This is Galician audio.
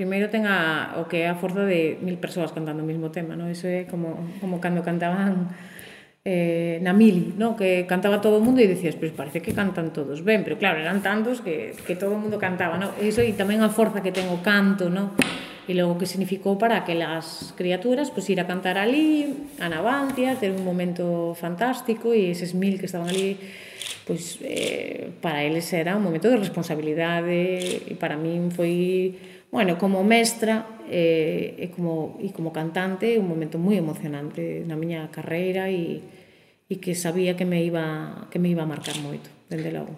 primeiro ten o que é a forza de 1000 persoas cantando o mesmo tema, non? Iso é como cando cantaban na Mili, non? Que cantaba todo o mundo e dicías, pois parece que cantan todos ben, pero claro, eran tantos que todo o mundo cantaba, non? Iso e tamén a forza que ten o canto, non? E logo que significou para aquelas criaturas pois ir a cantar ali, a Navantia, ter un momento fantástico e eses 1000 que estaban ali pois para eles era un momento de responsabilidade e para min foi, bueno, como mestra e como cantante un momento moi emocionante na miña carreira e que sabía que me iba a marcar moito, dende logo.